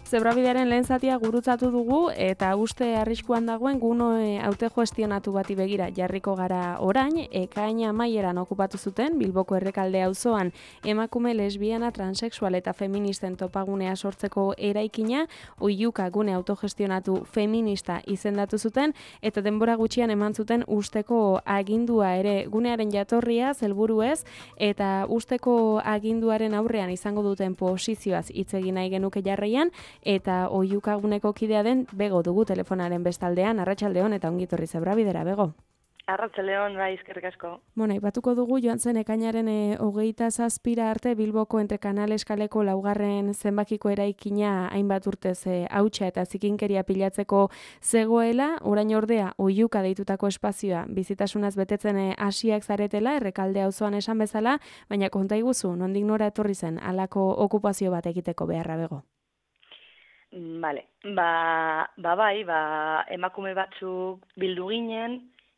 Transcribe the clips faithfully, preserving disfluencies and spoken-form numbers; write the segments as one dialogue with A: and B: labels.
A: Zebrabidearen lehen zatia gurutzatu dugu eta uste arriskuan dagoen guno autogestionatu bati begira jarriko gara orain, ekaina amaieran okupatu zuten Bilboko Errekalde auzoan emakume lesbiana, transexual eta feministen topagunea sortzeko eraikina, oihuka gune autogestionatu feminista izendatu zuten eta denbora gutxian eman zuten usteko agindua ere gunearen jatorria helburuez eta usteko aginduaren aurrean izango duten posizioaz hitz egin nahi genuke jarraian. Eta oihukaguneko kidea den Bego dugu telefonaren bestaldean. Arratsaldeon eta ongi etorri Zebrabidera, Bego.
B: Arratsaldeon, bai, eskerrik asko.
A: Bueno, aipatuko dugu joan zen ekainaren e, hogeita zazpira arte Bilboko entre Kanales kaleko laugarren zenbakiko eraikina hainbat urtez e, hautsa eta zikinkeria pilatzeko zegoela, orain ordea oihuka deitutako espazioa bizitasunaz betetzen hasiak zaretela, Errekalde auzoan esan bezala, baina konta iguzu, nondik nora etorri zen halako okupazio bat egiteko beharra, Bego?
B: Vale, ba, ba bai, ba, emakume batzuk bildu ginen,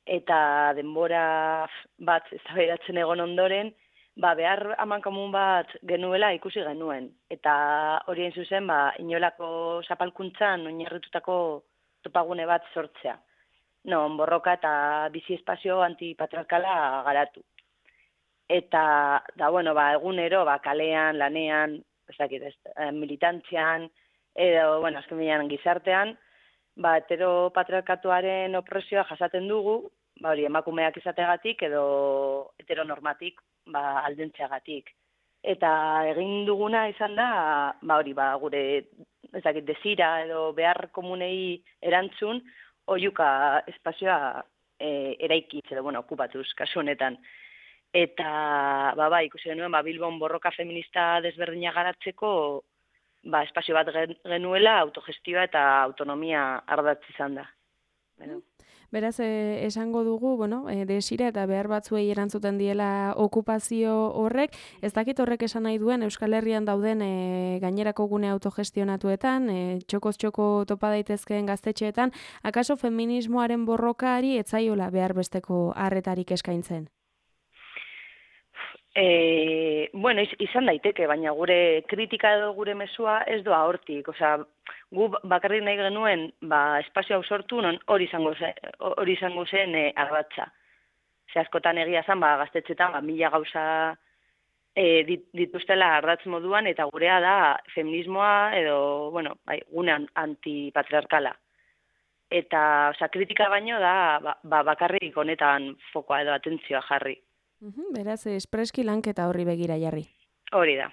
B: eta denbora bat eztabaidatzen egon ondoren, ba, behar amankomun bat genuela ikusi genuen. Eta hori hain zuzen, ba, inolako zapalkuntzan oinarritutako topagune bat sortzea. Non, borroka eta bizi espazio antipatriarkala garatu. Eta, da, bueno, ba, egunero, ba, kalean, lanean, ez dakit, ez, militantzian, edo, bueno, azken binean gizartean, ba, heteropatriarkatuaren opresioa jasaten dugu, ba, hori, emakumeak izategatik edo heteronormatik, ba, aldentzeagatik. Eta egin duguna izan da, ba, hori, ba, gure, ez dakit, desira edo behar komunei erantzun, oihuka espazioa e, eraikitz edo, bueno, okupatuz, kasu honetan. Eta, ba, ba, ikusi genuen, ba, Bilbon borroka feminista desberdina garatzeko, ba, espazio bat genuela autogestioa eta autonomia ardatz izan da. Bueno.
A: Beraz, eh, esango dugu, bueno, eh, desira eta behar batzuei erantzuten diela okupazio horrek, ez dakit horrek esan nahi duen Euskal Herrian dauden eh, gainerako gune autogestionatuetan, eh, txokoz txoko topa daitezkeen gaztetxeetan, akaso feminismoaren borrokari etzaiola behar besteko harretarik eskaintzen?
B: E, bueno, iz, izan daiteke, baina gure kritika edo gure mezua ez doa hortik. Osea, gu bakarrik nahi genuen ba, espazio hau sortu, non hori izango zen, hori izango zen e, ardatza. Ze askotan egia zen, ba, gaztetxetan ba, mila gauza e, dit, dituztela ardatz moduan, eta gurea da feminismoa edo, bueno, bai, gune antipatriarkala. Eta, osea, kritika baino da ba, ba, bakarrik honetan fokoa edo atentzioa jarri.
A: Uhum, beraz, espreski lanketa horri begira jarri.
B: Hori da,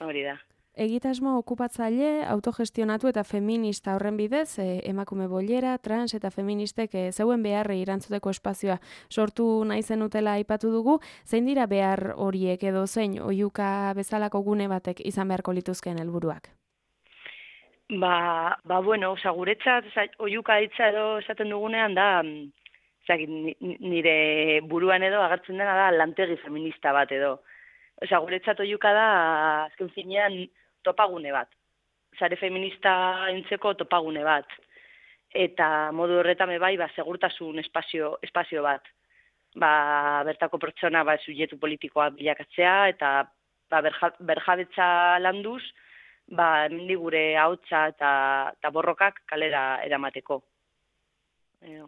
B: hori da.
A: Egitasmo okupatzaile, autogestionatu eta feminista horren bidez, eh, emakume bollera, trans eta feministek eh, zeuen beharrei erantzuteko espazioa sortu nahi zenutela aipatu dugu, zein dira behar horiek edo zein oihuka bezalako gune batek izan beharko lituzkeen helburuak?
B: Ba, ba bueno, oza, guretzat oihuka hitza edo esaten dugunean da, Zagin, nire buruan edo agertzen dena da lantegi feminista bat edo. Osa, guretzat oihuka da, azken finean, topagune bat. Sare feminista entzeko topagune bat. Eta modu horretan bai, ba, segurtasun espazio, espazio bat. Ba, bertako pertsona ba, subjektu politikoa bilakatzea, eta ba, berja, berjabetza landuz, ba, hemendik gure ahotsa eta, eta borrokak kalera eramateko. Edo.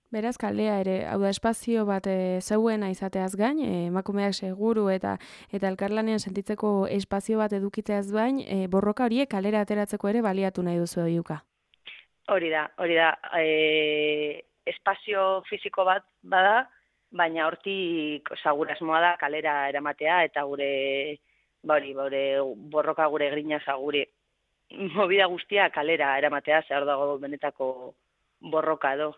A: Beraz, kalea ere, hau da espazio bat e, zeuena izateaz gain, e, emakumeak seguru eta eta elkarlanean sentitzeko espazio bat edukitzeaz gain, e, borroka horiek kalera ateratzeko ere baliatu nahi duzu oihuka.
B: Hori da, hori da. E, espazio fisiko bat bada, baina hortik gure asmoa da kalera eramatea eta gure, bori, gure borroka gure grinaza gure movida guztia kalera eramatea, zer dago benetako borroka edo.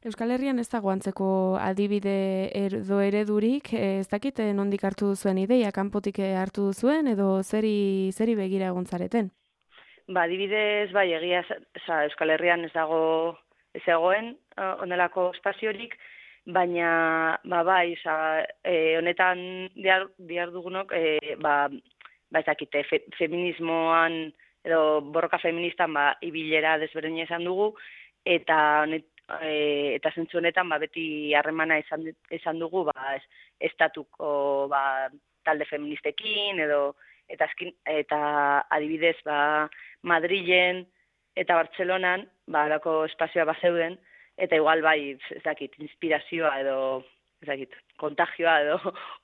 A: Euskal Herrian ez dago antzeko adibide edo eredurik, ez dakit nondik hartu duzuen ideia, kanpotik hartu duzuen edo zeri, zeri begira egon zareten?
B: Ba, adibidez, bai, egia, za, Euskal Herrian ez dago ez egoen onelako espaziorik, baina, ba, bai, za, e, honetan diar, diar dugunok, e, ba, ba, ez dakite, fe, feminismoan edo borroka feministan, ba, ibilera desberdina izan dugu, eta honet, E, eta zentzu honetan ba, beti harremana izan, izan dugu ba, estatuko ba, talde feministekin edo eta, eskin, eta adibidez, ba, Madrilen eta Bartzelonan, ba, alako espazioa bazeuden, eta igual bai, ez dakit, inspirazioa edo, ez dakit, kontagioa edo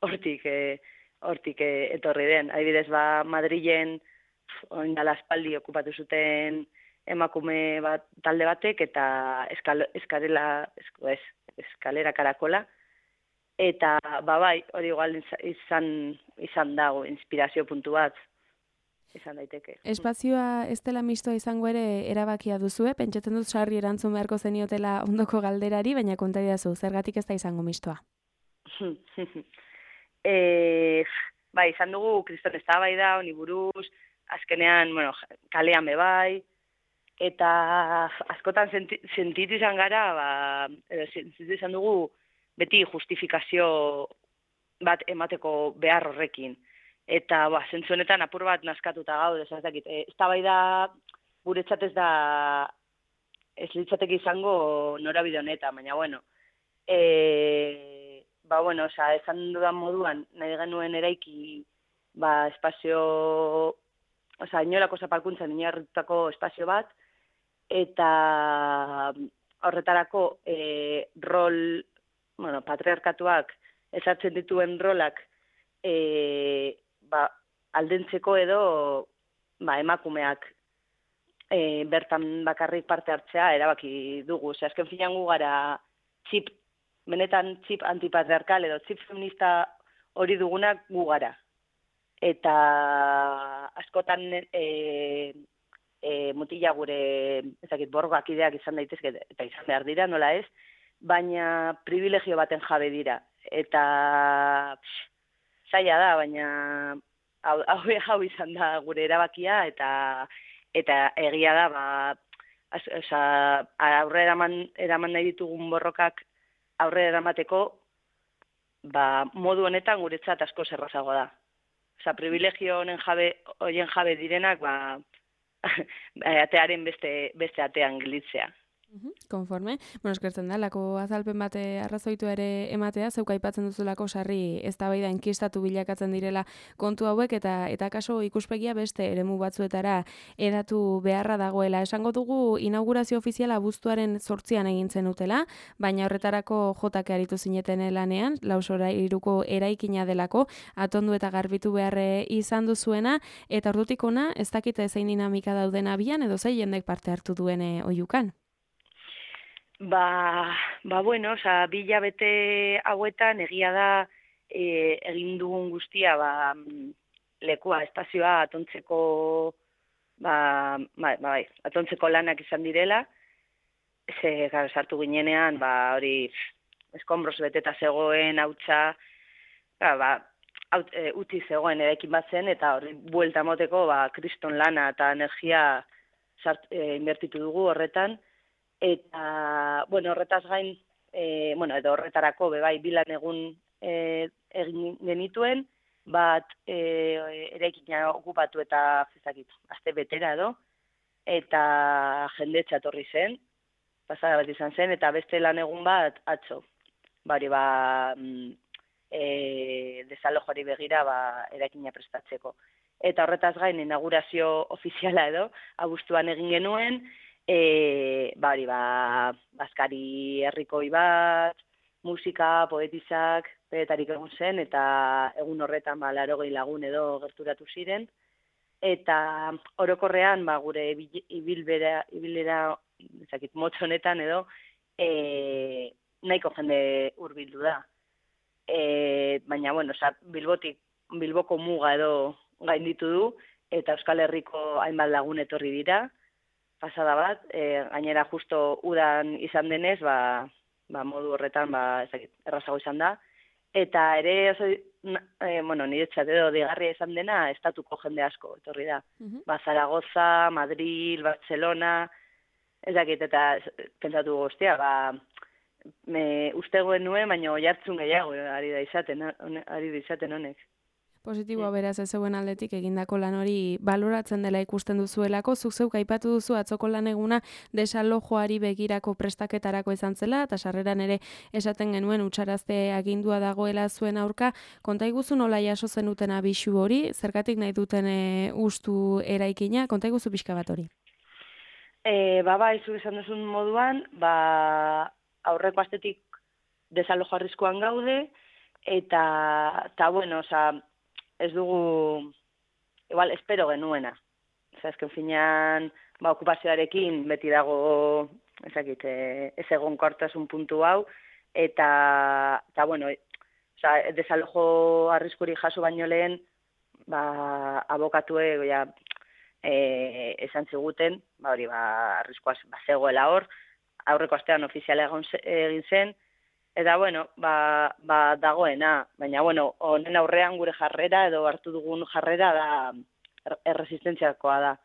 B: hortik, e, hortik e, etorri den. Adibidez, ba, Madrilen, oin dala aspaldi okupatu zuten emakume bat, talde batek, eta eskal, eskalera, esko, ez, eskalera karakola, eta, ba bai, hori igual izan, izan dago, inspirazio puntu bat, izan daiteke.
A: Espazioa ez dela mistoa izango ere erabakia duzue, pentsatzen dut sarri erantzun beharko zeniotela ondoko galderari, baina konta didazu, zergatik ez da izango mistoa?
B: e, bai, izan dugu, kriston eztabaida, honi buruz, azkenean, bueno, kalean be bai, eta askotan senti, sentitu izan gara, ba, edo, sentitu izan dugu, beti justifikazio bat emateko behar horrekin. Eta, ba, zentzu honetan apur bat naskatuta gaude, ez dakit, ez da bai da, guretzat ez da, ez litzateke izango norabide honetan, baina, bueno, e, ba, bueno, oza, esan dudan moduan, nahi genuen eraiki, ba, espazio, oza, inolako zapalkuntzan inarritutako espazio bat, eta horretarako e, rol, bueno, patriarkatuak ezartzen dituen rolak e, ba, aldentzeko edo ba, emakumeak e, bertan bakarrik parte hartzea erabaki dugu. Ose, azken finan gu gara txip, benetan txip antipatriarkal edo txip feminista hori dugunak gu gara. Eta askotan e, e, mutila gure ezakit, borgak ideak izan daitezke eta izan behar dira, nola ez, baina privilegio baten jabe dira. Eta pff, zaila da, baina hau, hau, hau izan da gure erabakia, eta eta egia da, ba, az, oza, aurre eraman, eraman nahi ditugun borrokak aurre eramateko, ba, modu honetan guretzat asko zerrazago da. Oza, privilegio honen jabe, hoien jabe direnak, ba, atearen beste, beste atean gilitzea.
A: Konforme. Bueno, eskertzen da, lako azalpen bate arrazoitu ere ematea, zeuk aipatzen duzulako sarri eztabaida inkistatu bilakatzen direla kontu hauek, eta eta kaso ikuspegia beste eremu batzuetara edatu beharra dagoela. Esango dugu inaugurazio ofiziala abuztuaren zortzian egin zenutela, baina horretarako jotak aritu zineten lanean, lausora iruko eraikina delako, atondu eta garbitu beharre izan duzuena, eta ordutik ona, ez dakite zein dinamika dauden abian, edo zei jendek parte hartu duen oihukan.
B: Ba, ba bueno, oza, bi hilabete hauetan egia da e, egin dugun guztia, ba, lekua, espazioa atontzeko, ba, ba, ba, atontzeko lanak izan direla, ze, gara, sartu ginenean, ba, hori, eskombros beteta zegoen, hautsa, ba, ba, haut, e, uti zegoen eraikin bat zen, eta hori, buelta moteko, ba, kriston lana eta energia sart, e, inbertitu dugu horretan, eta, bueno, horretaz gain, e, bueno, edo horretarako, bebai, bilan egun e, egin genituen, bat e, eraikina okupatu eta, ezakit, aste betera edo, eta jendetza etorri zen, pasada bat izan zen, eta beste lan egun bat atzo. Bari, ba, e, desalojari begira, ba, eraikina prestatzeko. Eta horretaz gain, inaugurazio ofiziala edo, abuztuan egin genuen, E, ba, hori, ba, bazkari herrikoi bat, musika, poetizak, pedetarik egun zen, eta egun horretan, ba, larogei lagun edo gerturatu ziren, eta orokorrean, ba, gure ibilbera, ibilera, ezakit, motz honetan edo, e, nahiko jende hurbildu da. E, baina, bueno, oza, Bilbotik, Bilboko muga edo gainditu du, eta Euskal Herriko hainbat lagun etorri dira, pasada bat, e, gainera justo udan izan denez, ba, ba modu horretan, ba, ezakit, errazago izan da. Eta ere, oso, e, bueno, niretzat edo digarria izan dena, estatuko jende asko, etorri da. Uh-huh. Ba, Zaragoza, Madrid, Barcelona, ezakit, eta pentsatu guztia, ba, me, uste goen nuen, baina oihartzun gehiago, ari da izaten, ari da izaten honek.
A: Positiboa beraz ez zeuen aldetik egindako lan hori baloratzen dela ikusten duzuelako, zuk zeuk aipatu duzu atzoko lan eguna desalojoari begirako prestaketarako izan zela, eta sarreran ere esaten genuen utxarazte agindua dagoela zuen aurka. Konta iguzu nola jaso zenuten abisu hori, zergatik nahi duten e, ustu eraikina, konta iguzu pixka bat hori.
B: E, ba, ba, izu esan duzun moduan, ba, aurreko astetik desalojo arriskuan gaude, eta, eta bueno, oza, ez dugu, igual, espero genuena. Oza, ezken finean, ba, okupazioarekin beti dago, ezakit, ez egon kortasun puntu hau, eta, eta bueno, oza, desalojo arriskuri jaso baino lehen, ba, abokatue, ja, e, esan ziguten, ba, hori, ba, arriskoaz, ba, zegoela hor, aurreko astean ofiziala egon egin zen, eta, bueno, ba, ba dagoena, baina, bueno, honen aurrean gure jarrera edo hartu dugun jarrera da erresistentziakoa da.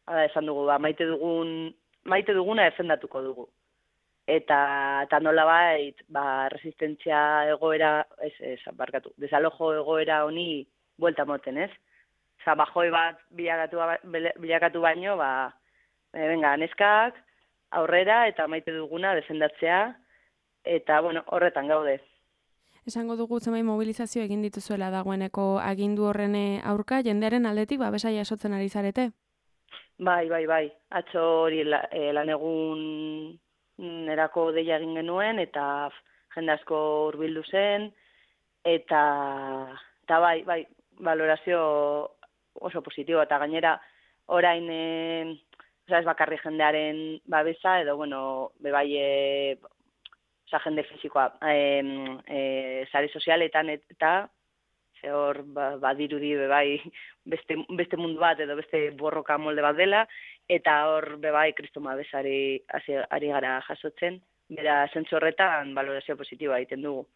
B: Hala esan dugu, ba, maite dugun, maite duguna defendatuko dugu. Eta, eta nola bait, ba, resistentzia egoera, ez, ez, barkatu, desalojo egoera honi buelta moten, ez? Oza, bajoi bat bilakatu, bilakatu baino, ba, e, venga, neskak, aurrera, eta maite duguna defendatzea, eta, bueno, horretan gaude.
A: Esango dugu zenbait mobilizazio egin dituzuela dagoeneko agindu horren aurka, jendearen aldetik babesa jasotzen ari zarete?
B: Bai, bai, bai. Atzo hori la, e, lan egun erako deia egin genuen, eta jende asko hurbildu zen, eta, eta bai, bai, valorazio oso positibo, eta gainera orain, e, oza, ez bakarri jendearen babesa, edo, bueno, bebai, e, oza, jende fizikoa, e, e, sare sozialetan eta, ze hor, ba, badirudi bebai beste, beste mundu bat edo beste borroka molde bat dela, eta hor bebai kristoma bezari ari gara jasotzen, bera zentzu horretan valorazio positiboa egiten dugu.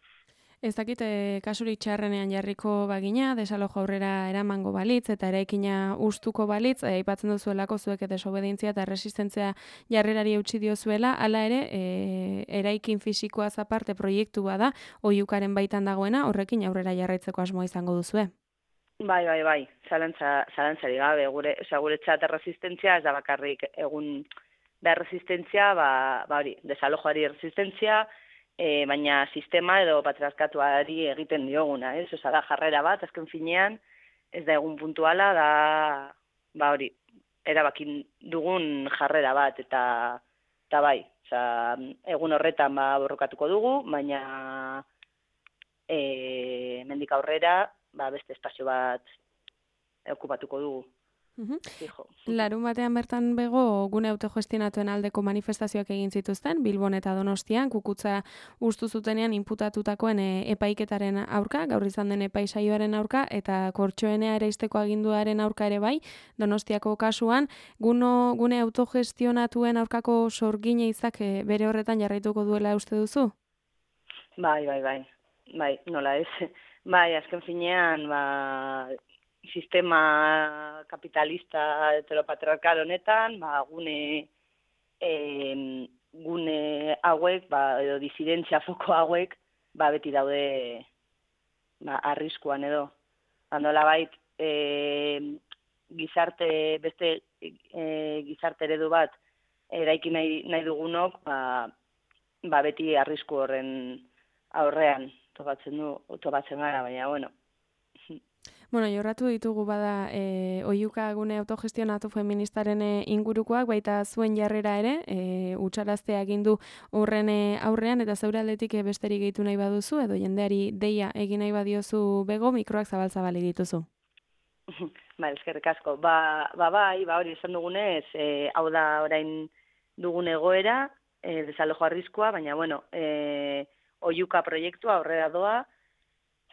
A: Ez dakit, e, kasurik txarrenean jarriko bagina, desalojo aurrera eramango balitz, eta eraikina ustuko balitz, e, aipatzen duzuelako zuek desobedientzia eta resistentzia jarrerari eutsi diozuela, hala ere, e, eraikin fisikoaz aparte proiektu bada, oihukaren baitan dagoena, horrekin aurrera jarraitzeko asmoa izango duzue.
B: Bai, bai, bai, zalantza, zalantzari gabe, gure, oza, gure txat erresistentzia, ez da bakarrik egun da resistentzia, ba, ba hori, desalojoari resistentzia, E, baina sistema edo patriarkatuari egiten dioguna, ez? Osa da jarrera bat, azken finean, ez da egun puntuala, da, ba hori, erabakin dugun jarrera bat, eta, eta bai, osa, egun horretan ba borrokatuko dugu, baina e, mendik aurrera, ba beste espazio bat okupatuko dugu.
A: Uhum. Larun batean bertan bego gune autogestionatuen aldeko manifestazioak egin zituzten, Bilbon eta Donostian, kukutza ustu zutenean inputatutakoen e, epaiketaren aurka, gaur izan den epaisaioaren aurka, eta kortxoenea ereizteko aginduaren aurka ere bai, Donostiako kasuan, guno, gune autogestionatuen aurkako sorgine izak e, bere horretan jarraituko duela uste duzu?
B: Bai, bai, bai, bai, nola ez. Bai, azken finean, ba, sistema kapitalista heteropatriarkal honetan, ba, gune, e, gune hauek, ba, edo disidentzia foko hauek, ba, beti daude ba, arriskuan edo. Handola bait, e, gizarte, beste e, gizarte eredu bat eraiki nahi, nahi dugunok, ba, ba, beti arrisku horren aurrean topatzen du, topatzen gara, baina, bueno,
A: Bueno, jorratu ditugu bada e, oihuka gune autogestionatu feministaren ingurukoak, baita zuen jarrera ere, e, utxarazte agindu horren aurrean, eta zeure aldetik besterik gehitu nahi baduzu, edo jendeari deia egin nahi badiozu bego, mikroak zabal-zabali dituzu.
B: Ba, eskerrik asko. Ba, ba, bai, ba, hori esan dugunez, e, hau da orain dugun egoera, e, desalojo arriskua, baina, bueno, e, oihuka proiektua aurrera doa,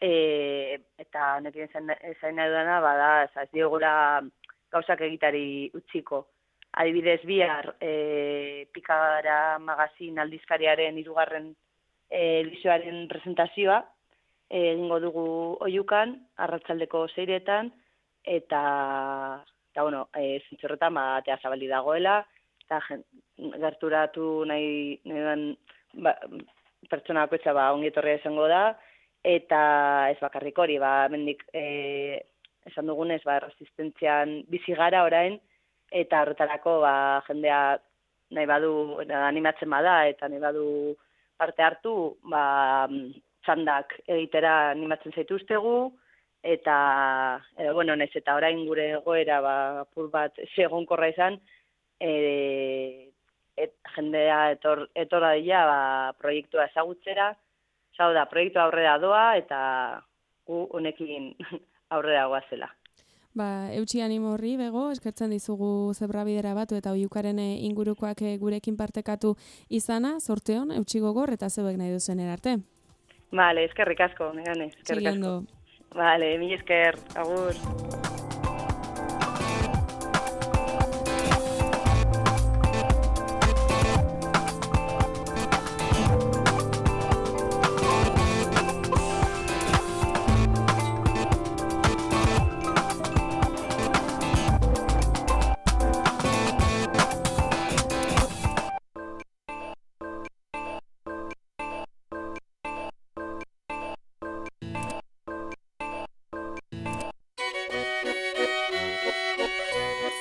B: E, eta honekin esain nahi dudana, bada, ez diogula gauzak egitari utziko. Adibidez, bihar e, Pikara magazin aldizkariaren hirugarren e, edizioaren presentazioa e, egingo dugu oihukan, arratsaldeko seiretan, eta, eta bueno, e, zintzorretan batea zabali dagoela, eta gerturatu nahi, nahi duen, ba, pertsona bakoitza ba, ongietorria izango da, eta ez bakarrik hori, ba, mendik, e, esan dugunez, ba, resistentzian bizi gara orain, eta horretarako ba, jendea nahi badu, animatzen bada, eta nahi badu parte hartu, ba, txandak egitera animatzen zaituztegu, eta, e, bueno, naiz eta orain gure egoera, ba, apur bat segonkorra izan, e, et, jendea etor, etorra dira, ba, proiektua ezagutzera, Zau da, proiektua aurrera doa eta gu honekin aurrera goazela.
A: Ba, eutxi animo horri, Bego, eskertzen dizugu zebrabidera batu eta oiukaren ingurukoak gurekin partekatu izana, sorteon, eutxi gogor eta zeuek nahi duzen erarte.
B: Vale, eskerrik asko, negane, eskerrik asko. Vale, mi esker, agur.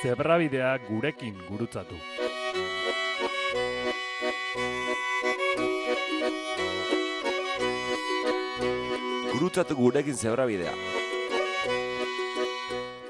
C: Zebrabidea gurekin gurutzatu.
D: Gurutzatu gurekin zebrabidea.